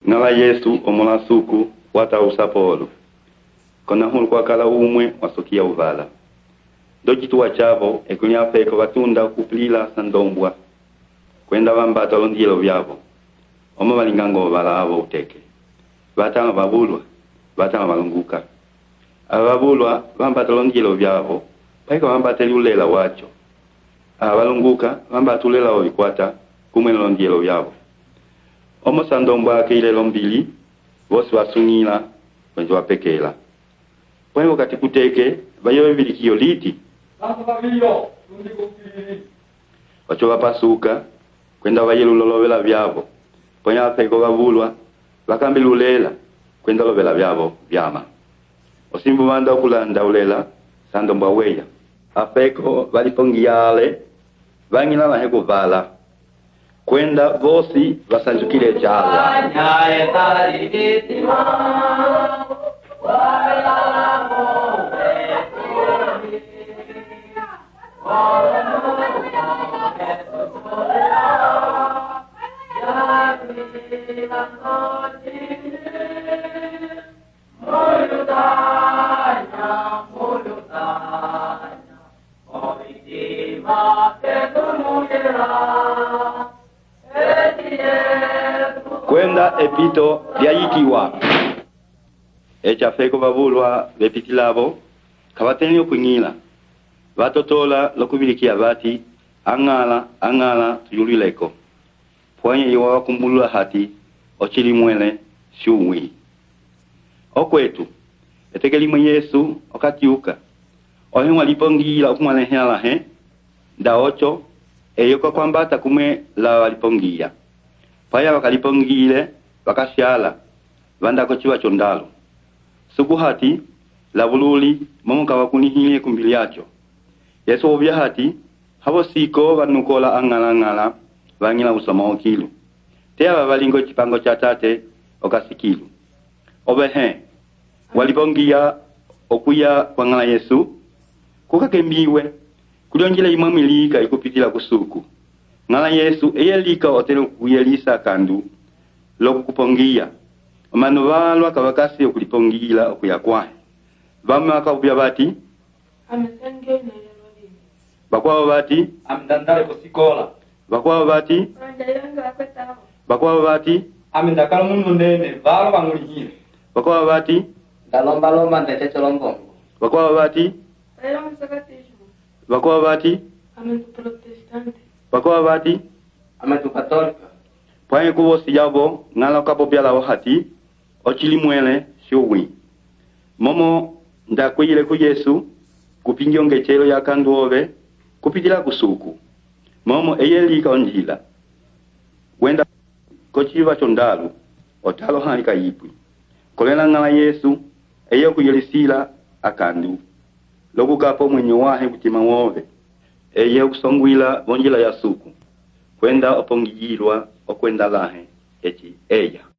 Nala Yesu omola suku wata usapolo. Kona hulu kwa kala umwe wasukia uvala. Dojitu wachavo ekunya feko watunda kuplila sandombwa. Kwenda vambata londielo vyavo. Oma walingango vala havo uteke. Vatama babulwa, vatama valunguka. Ababulwa vambata londielo vyavo. Paika vambata liulela wacho. Avalunguka vambata ulela wavikwata kumwe londielo vyavo. Omo sandombwa keile lombili, vosi wasungila, wenzi wapekela. Pwene wakati kuteke, vayewe vilikio liti. Wacho wapasuka, kwenda vayelu lolovela vyavo. Pwene wapeko wavulwa, wakambi lulela, kwenda lovela vyavo vyama. Osimbu wanda okulanda ulela, sandombwa weya. Apeko valipongiyale, vangina laheko vala. Kwenda vosi vasanjukile jalwa. Kwenda epito lyayikiwa. Echa feko babulwa bepitilabo kabatenyo kunyila. Vatotola lokubilikia bati angala tuyulileko. Pwanye iwa wakumbulula hati ochili mwele shumwi. Okwetu etekelimwe Yesu okatiuka. Ohemwa lipongila okumwalehela he. Da ocho eyoko kwambata kumwe la walipongia. Paya wakalipongile wakashala vanda kochiwa chondalo. Suku hati la bululi momuka wakunihile kumbili yacho. Yesu obya hati habo siko vanukola angala vangila usoma okilu. Tea wavalingo chipango cha tate okasikilu. Obehe walipongia okuya kwa ngala Yesu kukakembiwe kulionjile imamilika ikupitila kusuku. Ngala Yesu eyelika otelo kuyelisa kandu loku kupongia. Omanu valwa kawakasi okulipongila okuyakwahe. Vame wakabubya bati bakwawo bati amdandale kusikola. Bakwawo bati bakwawo bati Amendakala mundu nene valo bangulihile. Bakwawo bati Dalomba ndeteche lombongo. Bakwawo bati bakwawo bati bakwawo bati Ametu katolika. Pwanye kubosi yabo ngala kapopya la hati ochili mwele shuwi. Momo ndakwile ku Yesu kupinjonge chelo ya kanduove kupitila kusuku. Momo eyelika onjila. Wenda kochiva chondalu otalo halika yipwi. Kolela ngala Yesu eyo kuyelisila akandu. Loku kapo mwenye wahe kutima wove. Eyo kusongwila bonjila ya suku. Kwenda opongijilwa okwenda lahe echi eya.